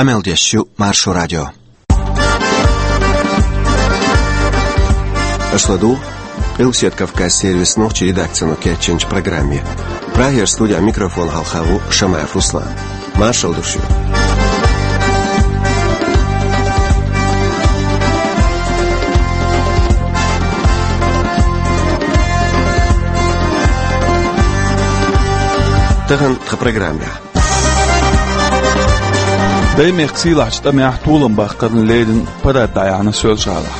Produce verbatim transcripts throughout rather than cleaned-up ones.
Къамел деш ю Маршо радио. Аша ладугӀу Къилбаседа Кавказан сервисан нохчийн редакцино кечйинчу программе. Прагера студин микрофона хьалха ву Шамаев Руслан. Маршалла ду шуьга. Тахана тхан программехь. Даймехкан сийлахьчу тӀамехь толам баккхарна леррина парад дӀаяьхьна Соьлжа-ГӀалахь.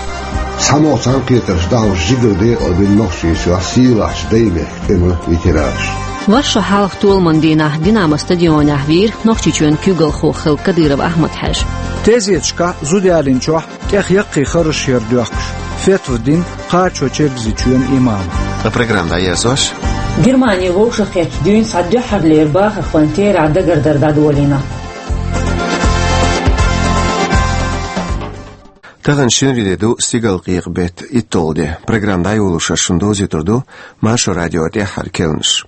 ЦхьамогӀа цхьаьнакхетарш дӀахьош жигара декъалбина Нохчийчохь сийлахьчу Даймехкан тӀеман ветеранаш. Вай шо хьалха толаман дийнахь Динамо стадионехь вийра Нохчийчоьнан куьйгалхо хилла Кадыров Ахьмад-Хьаьжа. Тезеташкахь, зуда ялийначохь тӀех яккхий харжаш яр доьхкуш, фетва дина Кхачо-Чергазийчоьнан имама. Ткъа программа дӀаерзош. Германе вовшахкхеттачу дуьйна цхьа дуьххьарлера бахархойн терахь дагардар дӀадолийна. Тахана шинарин де ду, стигалкъекъа беттан итталгӀа де. Программа дӀайолош ас шуна довзуьйтур ду Маршо радион тӀаьххьара керланаш.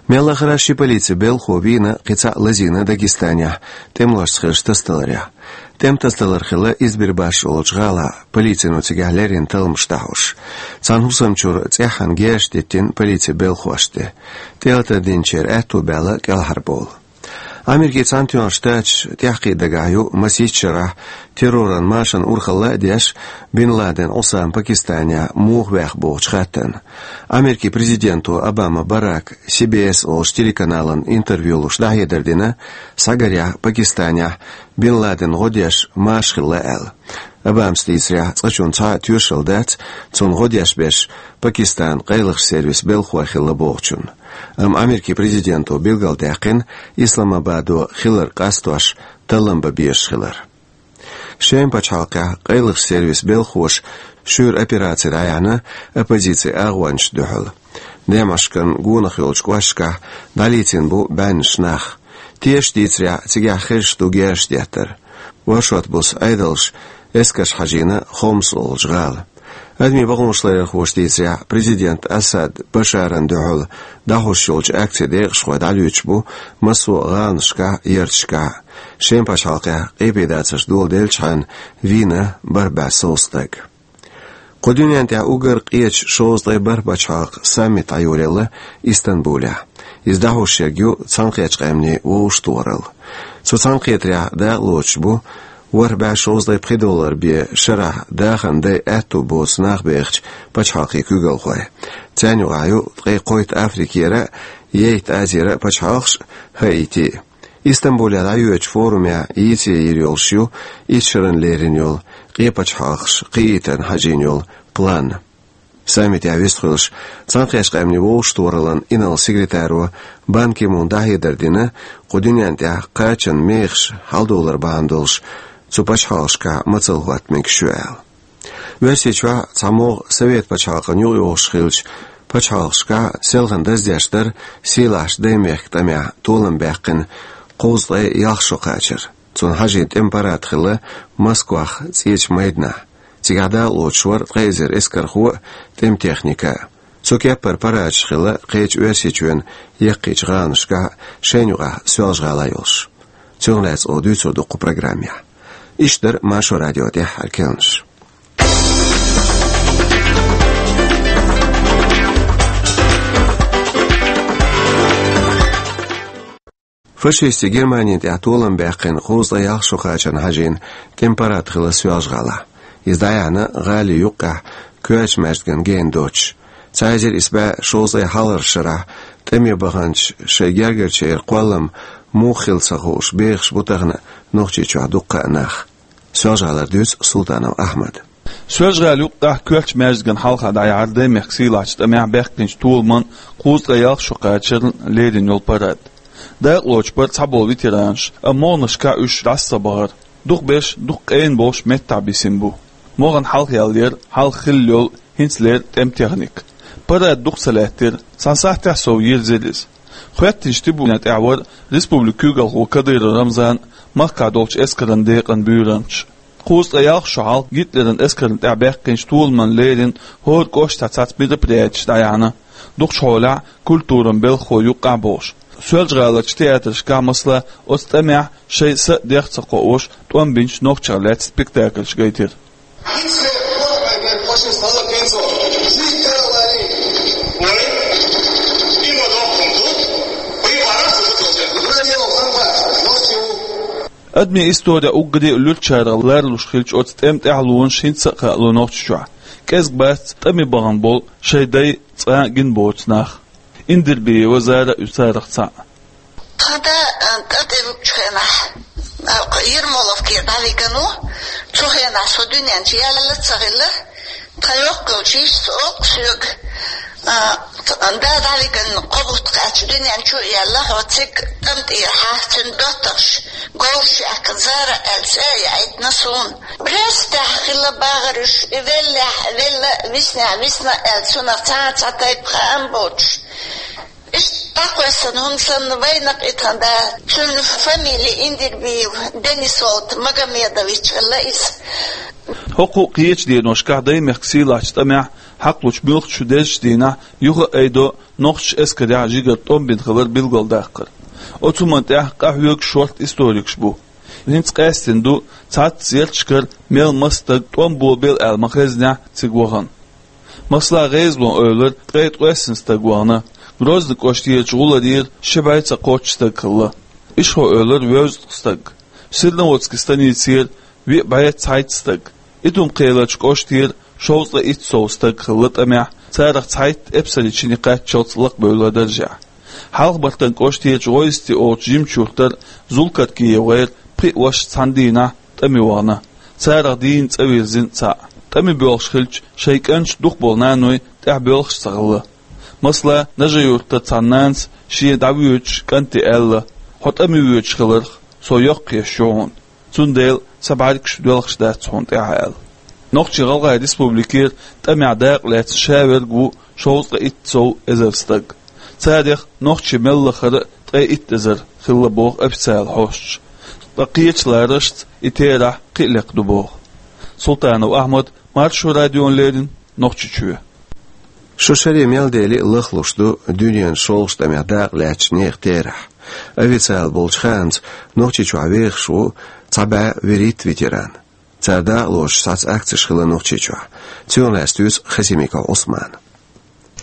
Мел лахара ши полицин белхахо вийна, кхин цхьаъ лазийна Дагестанехь тӀемалошца хиллачу тасадаларехь. ТӀеман тасадалар хилла Избербаш олучу гӀалахь, полицино цигахь леррина талламаш дӀахьош. Цхьана хӀусамчуьра цӀеххьана герзаш диттина полицин белхахошна тӀе. ТӀелатар динчеран аьтто баьлла кӀелхьарбовла. Америкин Цхьаьнатоьхначу Штаташ тӀаьхьакхиъна дагахь ю масийтта шарахь терроран машанан урхалла а деш, Бин Ладен Ӏусама Пакистанехь муха ваьхна бохучу хаттарна. Америкин президенто Обама Барака Си Би Эс олучу телеканална интервью луш дӀахьедар дина, схьагарехь Пакистанехь Бин Ладен гӀо деш маша хилла аьлла. Обамас дийцарехь, цкъачунна цхьа а тоьшалла дац цунна гӀо деш берш Пакистанан къайлахчу сервисан белхахой хилла бохучунна. Амма Америкин президенто билгалдаьккхина, Исламабадо хилар къастош таллам бан безаш хилар. Шеман пачхьалкхехь къайлахчу сервисан белхахоша шуьйра операци дӀаяьхьна оппозицин агӀончашна дуьхьал. Демашкан гонах йолчу кӀошташкахь дӀалецна бу бӀеннаш нах. Тешачу дийцарехь, цигахь хезаш ду герзаш деттар. Оршот буса Ӏедалша эскарш хьажийна Хомс олучу гӀала. Адамийн бакъонаш ларъярхоша дийцарехь, президент Асад Башарна дуьхьал дӀахьош йолчу акцин декъашхой дӀалоьцуш бу массо а гӀаланашкахь а, ярташкахь а. Шеман пачхьалкхехь къепедацарш доладелчхьана вийна бархӀ бӀе сов стаг. Кху дуьнен тӀехь уггар къечу шовзткъе бархӀ пачхьалкхан саммит дӀайолаелла Истанбулехь. Иза дӀахьош ерг ю Цхьаьнакхеттачу Къаьмнийн вовшахтохаралла. Цу цхьаьнакхетарехь дакъалоцуш бу ворхӀ бӀе шовзткъе пхи доллар бен шарахь дахаран дай аьтто боцу нах бехачу пачхьалкхийн куьйгалхой. Царна юкъахь ю ткъе кхойтта Африкера а, Ейт Азера а пачхьалкхаш а, Хаити а. Истанбулехь дӀайоьдучу форумехь йийца йийр йолуш ю итт шарна лерина йолу, къен пачхьалкхаш кхиийтарна хьажийна йолу план. Саммитехь вистхуьлуш, Цхьаьнакхеттачу Къаьмнийн вовшахтохараллин инарла секретаро Бан Ки Муна дӀахьедар дина, кху дуьнен тӀехь кхачанан мехаш хьалдовлар бахьана долуш цу пачхьалкхашкахь мацалла хӀотта мегаш ю аьлла. Оьрсийчохь а, цхьамогӀа Совет пачхьалкхана юкъайогӀуш хиллачу пачхьалкхашкахь а селхана даздеш дара сийлахьчу Даймехкан тӀамехь толам баьккхина кхузткъе ялх шо кхачар. Цунна хьажийна тӀеман парад хилла Москвахь ЦӀечу майданахь. Цигахь дакъалоцуш вара ткъе эзар эскархо а, тӀеман техника а. Цу кеппара парадаш хилла кхечу Оьрсийчоьнан яккхийчу гӀаланашкахь а, шайна юкъахь Соьлжа-ГӀала йолуш. Цунах лаьцна оха дуьйцур ду кху программехь. Иштта дара Маршо радион тӀаьххьара керланаш. Фашистийн Германина тӀехь толам баьккхина кхузткъе ялх шо кхачарна хьажийна тӀеман парад хилла Соьлжа-ГӀалахь. Иза дӀаяьхьна гӀалин юккъехь коьртачу маьждиган гена доцуш. Цхьа эзар исс бӀе шовзткъе хьалхарчу шарахь тӀаме баханчу шайн гергарчеран кхоллам муха хилла ца хууш бехаш бу тахана Нохчийчохь дуккха а нах. Соьлжа-ГӀалара дуьйцу Султанов Ахьмада. Соьлжа-ГӀалин юккъехь коьртачу маьждиган хьалха дӀаяьхьира Даймехкан сийлахьчу тӀамехь баьккхинчу толаман кхузткъе ялх шо кхачарна лерина йолу парад. Дакъалоцуш бара цхьаболу ветеранаш, амма могӀанашкахь уьш дӀасабахара. Дукхахберш дукха къена болуш меттахь бисина бу. МогӀан хьалха яьлла яра хьалха хилла йолу, хӀинцалера тӀеман техника. Парад дукха ца лаьттира, цхьана сахьтехь сов йирзира иза. Хоьттинчу трибунан тӀехь вара республикан куьйгалхо Кадыров Рамзан а, махкахь долчу эскаран декъан буьйранчаш а. Кхузткъе ялх шо хьалха Гитлеран эскарна тӀехь баьккхинчу толаман лерина хӀора кӀоштахь цхьацца мероприятеш дӀаяьхьна, дукхачу хьолехь культуран белхахой юккъехь а болуш. Соьлжа-ГӀаларчу театрашкахь, масала, оцу тӀамехь шайн са а, дех а ца кхоош, тӀом бинчу нохчех лаьцна спектакльш гайтира. Адамийн историн уггаре а луьрачарах ларлуш хилча, оцу тӀеман тӀаьхьалонаш хӀинца а хаало Нохчийчохь. КӀезиг бац тӀаме бахана болу, шайн дай цкъа а гина боцу нах. Индирбиева Зара а ю царах цхьаъ. Тхан да, а, тӀатӀевуьгучу хенахь, а, Ермоловке дӀавигна ву. Цу хенахь со дуьнен чу яьлла а ца хилла. Тхан йоккхачу йижас олу соьга, а, тхан да дӀавигна, кхо бутт кхаьчча дуьнен чу а яьлла, хьо цига тӀам тӀера хьаста, цуьнан доттагӀаш говраш яьккхина, Зара аьлла цӀе а яийтина суна. Брестехь хилла бахара уьш, и веллехь велла, виснехь висна аьлла, цунах цхьа а цхьа тайпа хаам боцуш. Иштта дӀакхоьссина, хӀума санна, вайнах и тхан да. Цуьнан фамили Индирбиев Денис волу, Магомедович хилла иза. ХӀокху кхечу деношкахь Даймехкан сийлахьчу тӀамехь хьакхалучу муьлххачу дезачу дийнахь юха а айдо нохчаша эскарехь жигара тӀом бина хилар билгалдаккхар. Оцу хӀуманна тӀехь къахьоьгуш шорта историкаш бу. ХӀинца къаьстина ду цхьацца ярташкара мел маса стаг тӀом бобийла аьлла ма-хезнехь цига вахана. Масала, ГӀезалон-Эвлара ткъе ткъайоьсна стаг вахана, Грозный кӀоштарчу гӀуларера ши бӀе ца кхоччуш стаг хилла. Ишхой-Эвлара вевзткъа стаг, Серноводски станицера виъ бӀе цхьайтта стаг, Итум-Кхаьлларчу кӀоштера шовзткъе итт сов стаг хилла тӀамехь, царах цхьайтта эпсарийн чиний кхаччалц лакхабевлла даржехь. Хьалха-Бартан кӀоштерчу ГӀойсти олучу жимачу юьртара Зулкаркиев ГӀайра пхи а вашас цхьана дийнахь тӀаме вахана, царах дийна цӀа вирзина цхьаъ. ТӀаме боьлхуш хилча, шайн кӀанташа дукхахболу наной тӀаьхьа боьлхуш а ца хилла. Масала, Нажи-Юьртара цхьана нанас шен дӀавоьдучу кӀанте аьлла: «Хьо тӀаме воьдуш хиларх, со йоккха еш ю хьуна. Цундела сан бӀаьргаш доьлхуш дац хьуна тӀаьхьа», – аьлла. Нохчийн-ГӀалгӀайн Республикера тӀамехь дакъа лаьцна ша верг ву шовзткъе итт сов эзар стаг. Царах нохчий мел лахара а ткъе итт эзар хилла боху официалан хьосташа. Ткъа кхечу ларашца и терахь кхин а лекха ду боху. Султанов Ахьмад, Маршо радиона леррина, Нохчийчоь. Шо шаре мел дели а лахлуш ду дуьненан шолгӀачу тӀамехь дакъа лаьцначу нехан терахь. Официалан болчу хаамца, Нохчийчохь вехаш ву цхьа бӀе вуьрхӀитта ветеран. Цара дакъалоцуш цхьацца акцеш хилла Нохчийчохь. Цунах лаьцна дуьйцу Хасимиков Ӏусмана.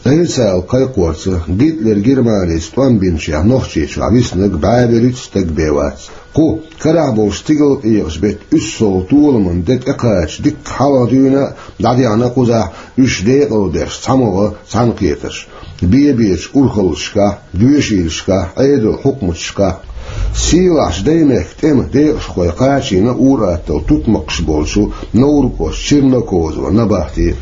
Официалан кхайкхорца, Гитлер Германица тӀом бинчех Нохчийчохь виснарг бӀе вуьрхӀитта стаг бен вац. Кху карахь болчу стигалкъекъачу беттан уьссалгӀа толаман де тӀекхача дикка хьалха дуьйна а, дӀадеана а кхузахь уьш декъалдеш цхьамогӀа цхьаьнакхетарш: бе-бечу урхаллашкахь, доьшийлашкахь, Ӏедалан хьукматашкахь. Сийлахьчу Даймехкан тӀеман декъашхой кхачийна ур-атталла тутмакхаш болчу Невран кӀоштан Чернокозово набахте.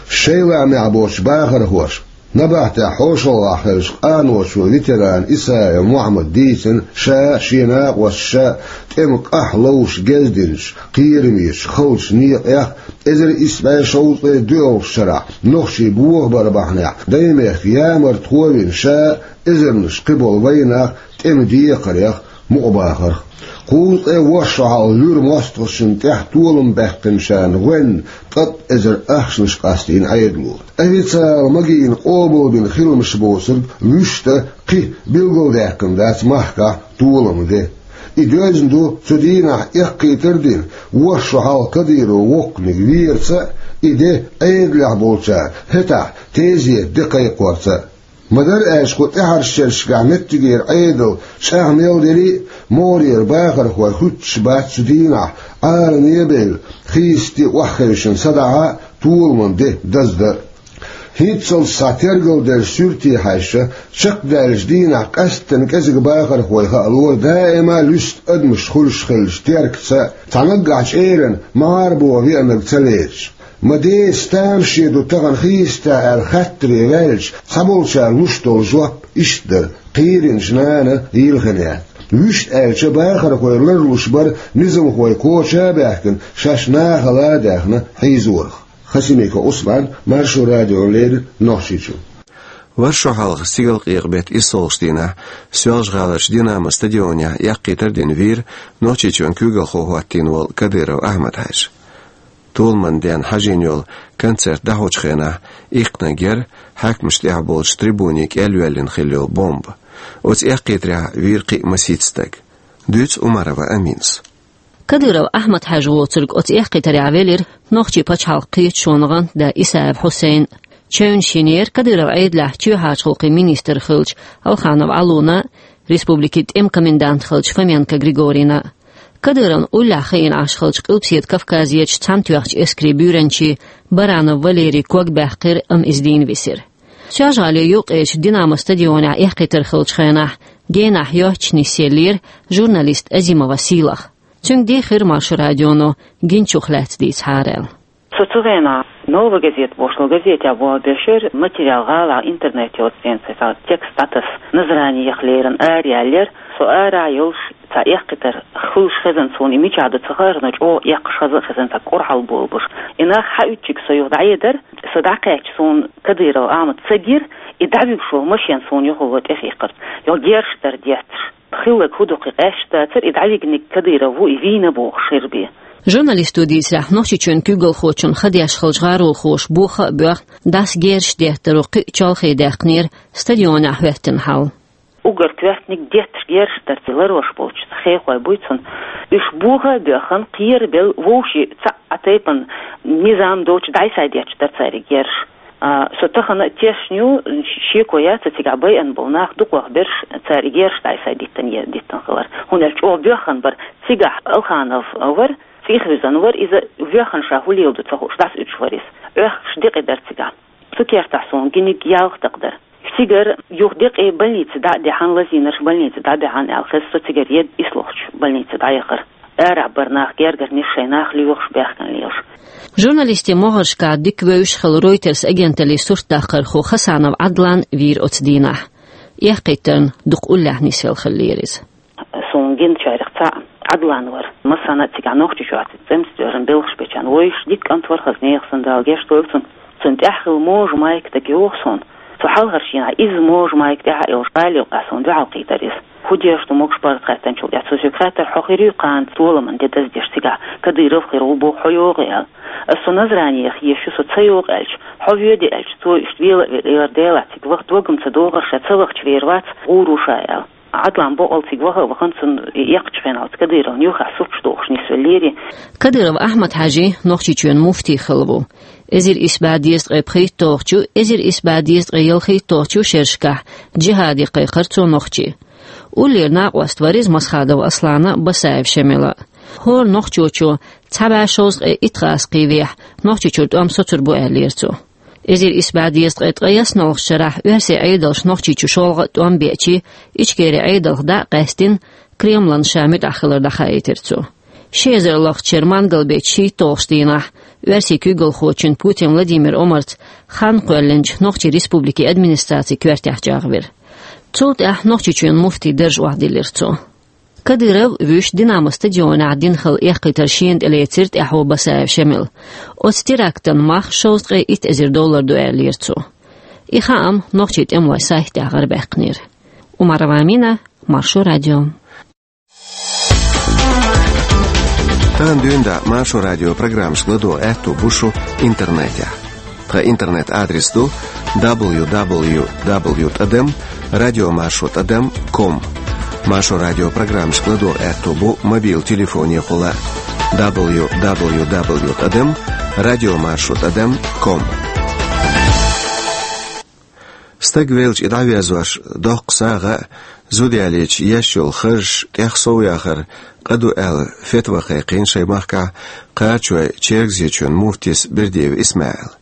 Шайн лаамехь боцучу бахархоша, набахтехь хьошалгӀахь хиллачу къаночо ветерана Исаев Мухьаммада дийцина, ша а, шен накъосташа а тӀеман къахь ловзуш гездинчу, кхерамечу халчу некъех, эзар исс бӀе шовзткъе доьалгӀачу шарахь нохчий бохабар бахьанехь, Даймехкан ямарта хӀоттийна ша а, эзарнаш кхиболу вайнах а тӀеман декхарех, мукъабахарх. Кхузткъе ворхӀ шо хьалха луьра мостагӀчунна тӀехь толам баьккхинчарна гӀоьнна ткъа эзар ахчанаш къастийна Ӏедало. Официалан магийна къобалбина хиламаш боцург вуьшта кхин билгалдаьккхина дац махкахь толаман де. И доьзна ду цу дийнахь эккхийтар а дина, ворхӀ шо хьалха Кадыров воккханиг верца а, и де Ӏедалехь болчара хӀетахь тезета де кхайкхорца а. Ма-дарра аьлча, кху тӀаьхьарчу шерашкахь меттигера Ӏедал чӀагӀ мел дели а, могӀарера бахархой хуьттуш бац цу дийнахь Ӏаламе а бевлла, хийцаде охьахевшина садаӀа а, толаман де даздан а. ХӀинццалц схьа тергалделла суьрте хьаьжча, чекхдаьллачу дийнахь къаьсттина кӀезиг бахархой хаалора даима луьста адамаш хуьлуш хиллачу теркаца а, цхьа наггахь чӀеран магӀарабо веанарг ца лецаш. Ма деца тамаше ду тахана хийцатехь аьлла хаттаре ваьлча, цхьаболчара луш долу жоп иштта дара: кхийринчу нана йилхина яц. Вуьшта аьлча, бахархой ларлуш бара низамхой коча а баьхкина, шаьш нахала а даьхна хьийзорах. Хасимиков Ӏусман, Маршо радиона леррина, Нохчийчу. Вара шо хьалха стигалкъекъа беттан иссалгӀачу дийнахь Соьлжа-ГӀаларчу «Динамо» стадионехь эккхийтар а дина вийра Нохчийчоьнан куьйгалхо хӀоттийна волу Кадыров Ахьмад-Хьаьжа. Толаман денна хьажийна йолу концерт дӀахьочу хенахь иккхинарг яра хьаькамашна тӀехь болчу трибуне кӀел йоьллина хилла йолу бомба. Оцу эккхийтарехь вийра кхин а масийтта стаг. Дуьйцу Умарова Аминас. Кадыров Ахьмад-Хьаьжа воцург оцу эккхийтарехь велира нохчийн пачхьалкхан кхеташонан гӀант да Исаев Хьусайн. Чевнаш йинера Кадыров Ӏедалехь чоьхьарчу гӀуллакхийн министр хиллачу Алханов Ӏалуна, республикин тӀеман комендант хиллачу Фоменко Григорийна. Кадыровна уллехь хиъна Ӏаш хиллачу Къилбаседа Кавказерчу Цхьаьнатоьхначу эскарийн буьйранчин Баранов Валерий ког баьккхира, амма иза дийна висира. Соьлжа-ГӀалин юккъерчу «Динамо» стадионехь эккхийтар хиллачу хенахь генахь йоццуш нисъеллера журналист Азимова Сийлаха. Цуьнга дийхира Маршо радионо гиначух лаьцна дийцахьара аьлла. Со цу хенахь «Новая газета» бохуш долу газетехь болх беш яра, материал гӀалахь интернет йоцу ден цхьа текст дӀатаса, Назранех лерина араяьллера. Со арахь йолуш, цхьа эккхийтар хуьлуш хезна суна, и мичахь ду ца хаьара, но чӀогӀа эккхаш хаза а хезна, цхьа кӀорггера болх беш. И нах схьаоьцуш, со юха дӀаэцара, со дӀакхаьчча, суна Кадыров Ахьмад ца гира, и дӀавуьгуш волу машен суна юхало тӀехиъкхира. Йо, герзаш дара детташ. Хилларг хӀун ду-кх, къаьсташ дацара, и дӀавигнарг Кадыров ву, и вийна бохуш хир бен. Журналисто дийцарехь, Нохчийчоьнан куьйгалхочун хадеш хиллачу гӀаролхоша боха а боьхна, дӀаса герзаш деттаро кхин а чолхе даьккхинера стадионехь хӀоьттина хьал. Уггар коьртаниг детташ герзаш дара, цхьа ларвеш болчу хехой буй цунна. Уьш боха а боьхна, кхера а белла, вовшийн цхьа а тайпана низам доцуш дӀасадетташ дара цаьрга герзаш. А, со тахана а тешна ю, шеко яц, цигахь байина болу нах дукхах берш цаьрга герзаш дӀасадиттина, е диттина хилар. ХӀунда аьлча чӀогӀа боьхна бара, цигахь Алханов вара, цӀийх вуьзна вара, иза воьхна, ша хӀун леладо ца хууш, дӀасауьдуш вара иза. Оьхкуш декъий дара цигахь. Цу кертахь суна гиниг ялх дакъа дара. Цигара юха декъий больнице дӀа а даьхьна, лазийнарш больнице дӀа а баьхьна аьлла хеза, со цигара едда ислохучу больнице дӀаяхара. Арахь бара нах гергарниш, шайн нах лоьхуш, баьхкина лелаш. Журналистийн могӀаршкахь дика вевзаш хилла Reuters агенталлин суртдаккхархо Хасанов Ӏадлан вийра оцу дийнахь. Эккхийтарна дукха уллехь нисвелла хиллера иза. Суна гиначарех цхьаъ Ӏадлан вара. Массарна а цигахь Нохчийчохь цӀемца доьжна белхаш бечарна вуьйш, дика кӀант вара, хаза нехан санна, Дала гечдойла цунна. Цунна тӀехь хилла Можа Майк дага йогӀу суна. Цу хьалхарчу дийнахь иза Можа Майк тӀаьхьа а йолуш, гӀала юккъехь суна дуьхьал кхийтира иза. ХӀун деш ду могуш бара хаьттинчул тӀаьхьа цо соьга хаьттира: «Хьо хир юй кхана толаман де даздеш цигахь, Кадыров хир ву боху, хьо йогӀий?» – аьлла. Аса: «Со Назранех езаш ю, со ца йогӀу», – аьлча, «Хьо воьдий», – аьлча, цо иштта вела а велла, Дела цигахь вахта вагам ца догӀура, ша ца вахча вер вац, гӀур ву ша, аьлла. Ӏадлан бакъ волуш цига ваха а вахана, цунна и эккхачу хенахь оцу Кадыровна юххехь сурташ дохуш нисвеллера. Кадыров Ахьмад-Хьаьжа Нохчийчоьнан муфти хилла ву. Эзар исс бӀе дезткъе пхийтталгӀачу, эзар исс бӀе дезткъе ялхийтталгӀачу шерашкахь джихӀаде кхайкхира цо нохчий. Уллера накъост вара иза Масхадов Аслана а, Басаев Шемала а. ХӀора нохчочо цхьа бӀе шовзткъе итт гӀазкхий вехь, Нохчийчуьра тӀом соцур бу аьллера цо. Эзар исс бӀе дезткъе ткъе ялхитталгӀачу шарахь оьрсийн Ӏедалша Нохчийчу шолгӀа а тӀом беача, Ичкерин Ӏедалх дӀа а къаьстина, Кремлана ша муьтӀахь хилар дӀахаийтира цо. Ши эзар лахчара мангал беттан шийтталгӀачу дийнахь оьрсийн куьйгалхочун Путин Владимир Омарца хан кхоьллинчу Нохчийн Республикин администрацин коьртехь чӀагӀвира. Цул тӀаьхьа Нохчийчоьнан муфтин дарж охьадиллира цо. Кадыров вуьйш «Динамо» стадионехь дина хилла эккхийтар шена тӀелецира тӀаьхьо Басаев Шемала. Оцу терактан мах шовзткъе итт эзар доллар ду аьллера цо. И хаам нохчийн тӀемалойн сайтехь гӀарабаьккхинера. Умарова Амина, Маршо радио. Тахана дуьйна дӀа Маршо радион программашка ладогӀа аьтто бу шун интернетехь. Тхан интернет-адрес ду: дабл ю дабл ю дабл ю тӀадам радиомаршо тӀадам ком. Маршо радион программашка ладогӀа аьтто бу мобил телефонехула: дабл ю дабл ю дабл ю тӀадам радиомаршо тӀадам ком. Стаг велча, и дӀавоьзош доккха сагӀа а, зуда ялийча еш йолу харжаш тӀех сов яхар къа ду аьлла, фетва кхайкхийна шайн махкахь Кхарачойн Чергазийчоьнан муфтис Бердиев ИсмаӀила.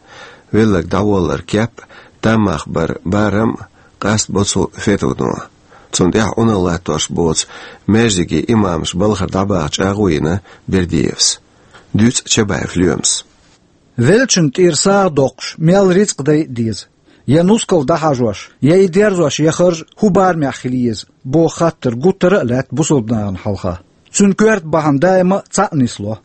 Велларг дӀаволлар кеп а, таммах бар барам а къаст бо цу фетвано. Цунна тӀехь Ӏуналла латтош боцу маьждигийн имамаш балхара дӀабаха чӀагӀо йина Бердиевс. Дуьйцу Чабаев Лоьмас. Веллачун тӀера сагӀа доккхуш, мел рицкъ дайа а деза, я нускал дӀахьажош, я и дерзош, я харж хӀун барамехь хила еза, боху хаттар гуттара а лаьтта бусалба нахана хьалха. Цуьнан коьрта бахьана даима а цхьаъ нисло.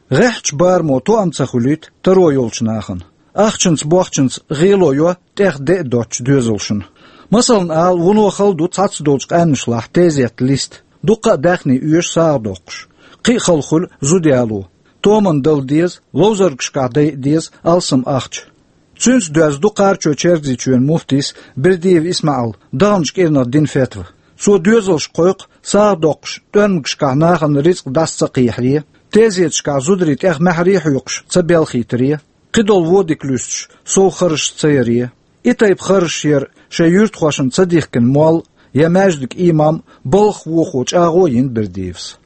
ГӀеххьачу барамо тоам ца хуьлуьйту таро йолчу нахана. Ахчанца, бохчанца гӀело йо тӀех де а доцучу доьзалшна. Масална ала, вуно хала ду цхьацца долчу къаьмнашлахь тезет листа, дуккха а даьхни оьшу сагӀа доккхуш. Кхин а хала хуьлу зуда яло. Томан дала деза, ловзаргашкахь дайа а деза алсам ахча. Цуьнца доьзна ду Кхарачой-Чергазийчоьнан муфтис Бердиев ИсмаӀал даханчу кӀирнах дина фетва. Цо доьзалш кхойкху сагӀа доккхуш тӀоьмнашкахь нахана рицкъ дӀаса ца кхехьаре, тезеташкахь зударий тӀех маьхьарий хьоькхуш ца белхийтаре, кхидолу вон дика луьстуш сов харжаш ца яре. И тайпа харжаш яр шайн юьртахошна ца дихкина молла я маьждиг имам балхах вохо чӀагӀо а йина Бердиевс.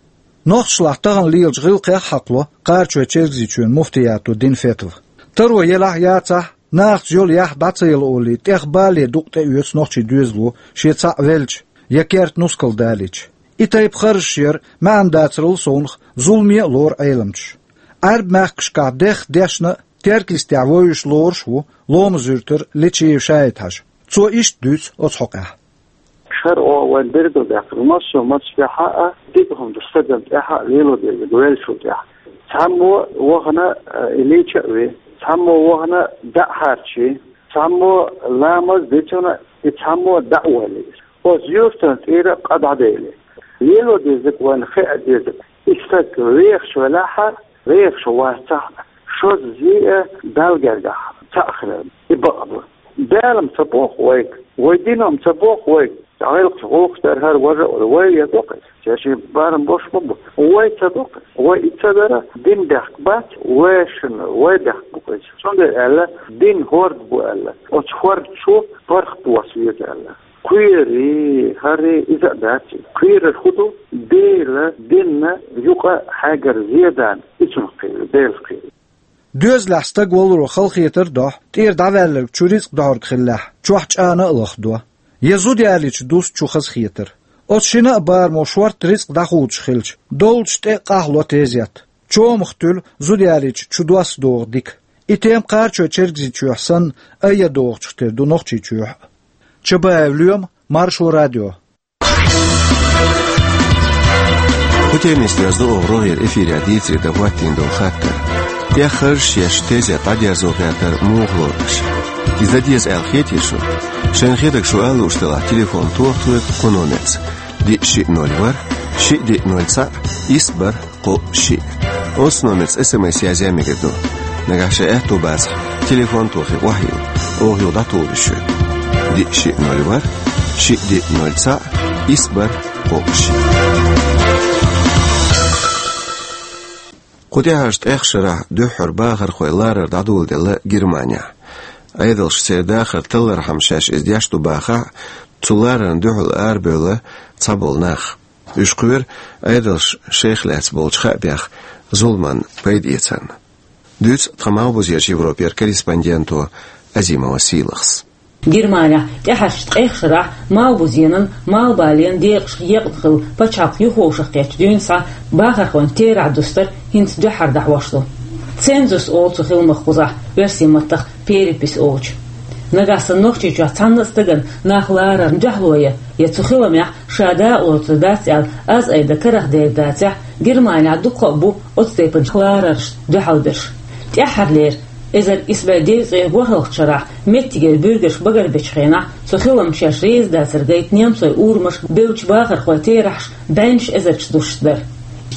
Нохчашлахь тахана лелачу гӀиллакхех а хьакхало Кхарачой-Чергазийчоьнан муфтиято дина фетва. Таро елахь а, яцахь а, нахаца йолу яхь дӀа ца яла олий, тӀех бале дукъ тӀеоьцу нохчийн доьзало шен цхьаъ велча я керта нускал далийча. И тайпа харжаш яр маьӀна дацарал совнах зуламе а лору Ӏеламчаш. Ӏаьрбийн мехкашкахь дехха дешна а, Теркйистехь вевзаш лоруш а ву Ломан-Юьртара Личиев Шаид-Хьаьжа. Цо иштта дуьйцу оцу хьокъехь. ШарӀо вайн билгалдаьккхина, массо а мацах тӀехь а, дика хӀума ду стагана тӀехь а, лело дезарг веллачул тӀехь. Цхьаммо вахана, э, и лийча а ве, цхьаммо вахана дӀа а хьарчий, цхьаммо ламаз дицуна, и цхьаммо дӀа а валий. Оцу юьртана тӀера къа дӀадели. Лело дезарг вайна хаа дезарг. И стаг вехаш велахь а, вехаш вацахь а, шозза зе а Далла гергахь цхьаъ хилар, и бакъ ду. Дала-м ца боху вайга, вай дино-м ца боху вайга, гӀиллакхаш гӀуллакхаш дар хӀара важа а вара, вай а доккху иза, ша шен барам бош ма бу. Вай ца доккху, вай и ца дара, дин бехк бац, вешан вай бехк бу-кх иза. Цундела аьлла, дин хӀорд бу аьлла, оцу хӀорда чу паргӀат доса веза аьлла. Кхерий, хӀарий, иза а дац. Кхерар хӀун ду? Дела динна юкъа хьегар зедан, и цунах кхерий, Делах кхерий. Доьзалехь стаг валаро халахетар а дохь, тӀера дӀаваьлларг чу рицкъ дохьург хиллехь, чохь чӀана а лахдо. Я зуда ялийча дус чу хазахетар. Оцу шина а барамо шортта рицкъ дӀахулуш хилча, доллучу тӀе а къахьло тезет. Чомах туьлу зуда ялийча чу дос догӀу дика. И тема Кхарачой-Чергазийчохь санна, айъа догӀучух тера ду Нохчийчохь а. Чабаев Лоьма, Маршо радио. Кху темиста доьзна ду оха рогӀера эфирехь дийцаре дан хӀоттийна долу хаттар. ТӀех харжаш еш тезет дӀадерзо гӀертар муха лору аша? Иза дан деза аьлла хетий шуна? Шайна хетарг шу ала лууш делахь, телефон тоха тхоьга кху номерца: диъ шиъ ноль ворхӀ, шиъ диъ ноль цхьаъ, исс бархӀ кхоъ шиъ. Оцу номерца эс эм эс язъян мегар ду. Нагахь шайн аьтто бацахь, телефон тохий охьайилла, оха юха дӀатухур ю шуьга. Диъ шиъ ноль ворхӀ, шиъ диъ ноль цхьаъ, исс бархӀ кхоъ шиъ. Кху тӀаьхьарчу ткъех шарахь дуьххьара бахархой ларар дӀадоладелла Германехь. Ӏедалша церан дахар таллархьама шаьш иза деш ду бахахь а, цу ларарна дуьхьал арабевлла цхьаболу нах. Уьш кхоьру Ӏедалша шайх лаьцна болчу хаамех зуламан пайда эцарна. Дуьйцу тхан Малхбузерчу Европера корреспонденто Азимова Сийлахьс. Германехь тӀаьхьарчу ткъех шарахь Малхбузенан, Малхбаленан декъашка екъна хилла пачхьалкх юхавовшахкхеттачу дуьйна схьа бахархойн терахь дустар хӀинца дуьххьара дӀахьош ду. Цензус олу цу хиламах кхузахь, оьрсийн маттахь перепись олучу. Нагахь санна Нохчийчохь цхьанна а стагана нах ларарна дуьхьало ян, я цу хиламехь ша дакъалоцур дац аьлла, аз айда карах дер дацахь, Германехь дуккха а бу оцу тайпана лараршна дуьхьалберш. ТӀаьххьарлера, эзар исс бӀе девза цхьайтталгӀачу шарахь, меттигера буьргаш багарбечу хенахь, цу хиламна шаьш реза дацар гайта немцойн урамаш бевддачу бахархойн терахьаш бӀеннаш эзарчу дусуш дара.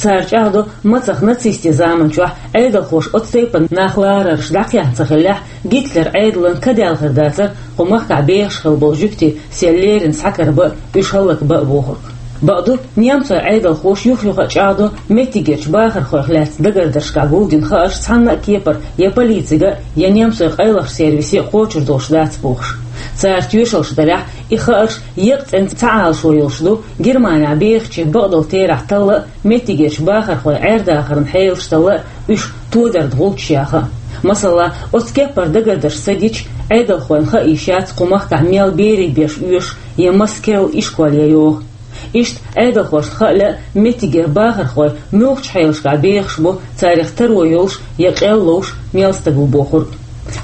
Цара чӀагӀдо, мацах нацистийн заманчохь Ӏедалхоша оцу тайпана нах ларарш дӀакхехьна ца хиллехь, Гитлеран Ӏедалан ка даьлла хир дацара кху махкахь бехаш хилла болу жуьгтий сел леррина схьакарабан а, уьш хӀаллакбан а бохург. Бакъду, немцойн Ӏедалхоша юх-юха а чӀагӀдо, меттигерчу бахархойх лаьцна дагардаршкахь гулдина хаарш цхьанна а кепара я полицига а, я немцойн къайлахчу сервисе а кхочур долуш дац бохуш. Цара тоьшаллаш далахь, и хаарш еккъа цӀена ца Ӏалашо йолуш ду Германехь бехачийн бакъдолу терахь талла а, меттигерчу бахархойн Ӏер-дахаран хьелаш талла а, уьш тодарна гӀулчаш яха а. Масала, оцу кеппара дагардарш ца гича, Ӏедалхойн хаа йиш яц кху махкахь мел берийн беш оьшуш я маса керла ишкол я йогӀу. Иштта Ӏедалхошна хаа лаьа, меттигера бахархой муьлхачу хьелашкахь бехаш бу, царах таро йолуш я къел ловш мел стаг ву бохург.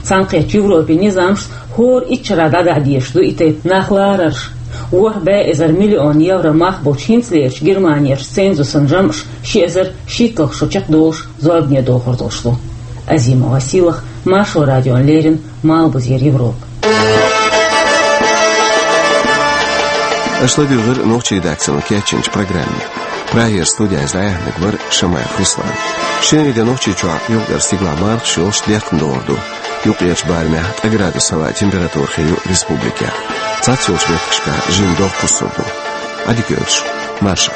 Цхьаьнакхеттачу Европин низамашца хӀора итт шарахь дӀадахьа дезаш ду и тайпа нах ларарш. ВорхӀ бӀе эзар миллион евро мах болчу хӀинцалерачу Германерчу цензусан жамӀаш ши эзар шийтталгӀа шо чекхдолуш зорбане дохур долуш ду. Азимова Сийлахь, Маршо радиона леррина, Малхбузера Европа. Аша ладуьйгӀира нохчийн редакцино кечйинчу программе. Прагера студехь дӀаяьхьнарг вара Шамаев Руслан. Шинарин де Нохчийчохь юкъара стигала мархаш йолуш дехкан догӀур ду. Юккъерчу барамехь тӀе градус хилла температура хир ю республикехь. Цхьацца йолчу меттигашкахь жимма догӀа кхуссур ду. Ӏадика йойла шун. Марша.